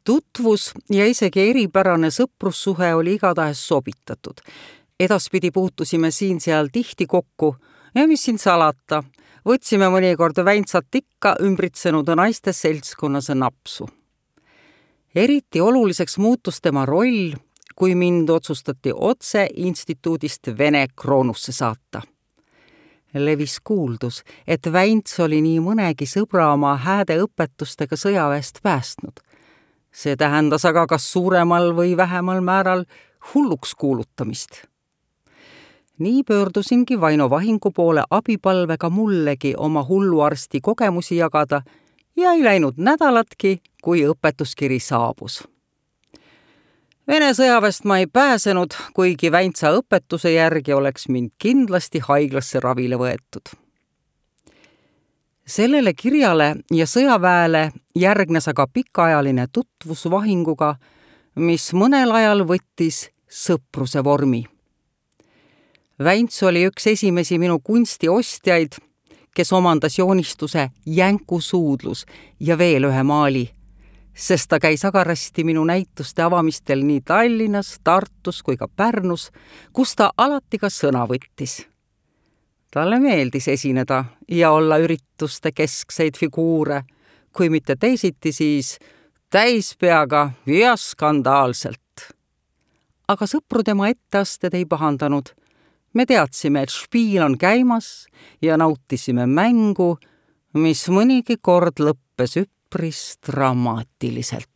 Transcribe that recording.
Tutvus ja isegi eripärane sõprussuhe oli igatahes sobitatud. Edaspidi puutusime siin-seal tihti kokku ja mis siin salata, võtsime mõnikord Väntsat ikka ümbritsenud naiste seltskonnas napsu. Eriti oluliseks muutus tema roll, kui mind otsustati otse instituudist Vene Kroonusse saata. Levis kuuldus, et Vänts oli nii mõnegi sõbra oma hääde õpetustega sõjaväest päästnud. See tähendas aga kas suuremal või vähemal määral hulluks kuulutamist. Nii pöördusingi Vaino Vahingu poole abipalvega mullegi oma hulluarsti kogemusi jagada ja ei läinud nädalatki, kui õpetuskiri saabus. Vene sõjaväest ma ei pääsenud, kuigi Väntsa õpetuse järgi oleks mind kindlasti haiglasse ravile võetud. Sellele kirjale ja sõjaväele järgnes aga pikaajaline tutvus Vahinguga, mis mõnel ajal võttis sõpruse vormi. Vänts oli üks esimesi minu kunstiostjaid, kes omandas joonistuse Jänkusuudlus ja veel ühe maali, sest ta käis agarasti minu näituste avamistel nii Tallinnas, Tartus kui ka Pärnus, kus ta alati ka sõna võttis. Talle meeldis esineda ja olla ürituste keskseid figuure, kui mitte teisiti, siis täispeaga ja skandaalselt. Aga sõpru tema etteasted ei pahandanud. Me teadsime, et špiil on käimas ja nautisime mängu, mis mõnigi kord lõppes üpris dramaatiliselt.